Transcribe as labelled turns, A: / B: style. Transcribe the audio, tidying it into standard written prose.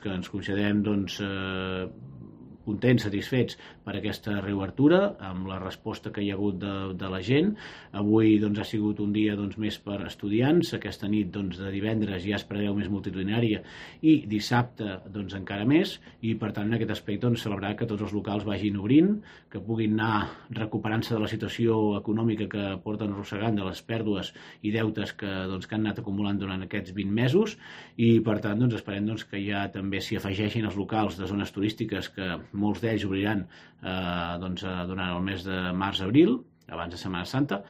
A: que ens considerem contents, satisfets per aquesta reobertura, amb la resposta que hi ha hagut de la gent. Avui ha sigut un dia més per estudiants, aquesta nit de divendres ja es preveu més multitudinària i dissabte encara més, i per tant en aquest aspecte celebrar que tots els locals vagin obrint, que puguin anar recuperant-se de la situació econòmica que porten arrossegant, de les pèrdues i deutes que han anat acumulant durant aquests 20 mesos, i per tant esperem que ja també s'hi afegeixin els locals de zones turístiques, que molts d'ells obriran durant el mes de març-abril, abans de Setmana Santa,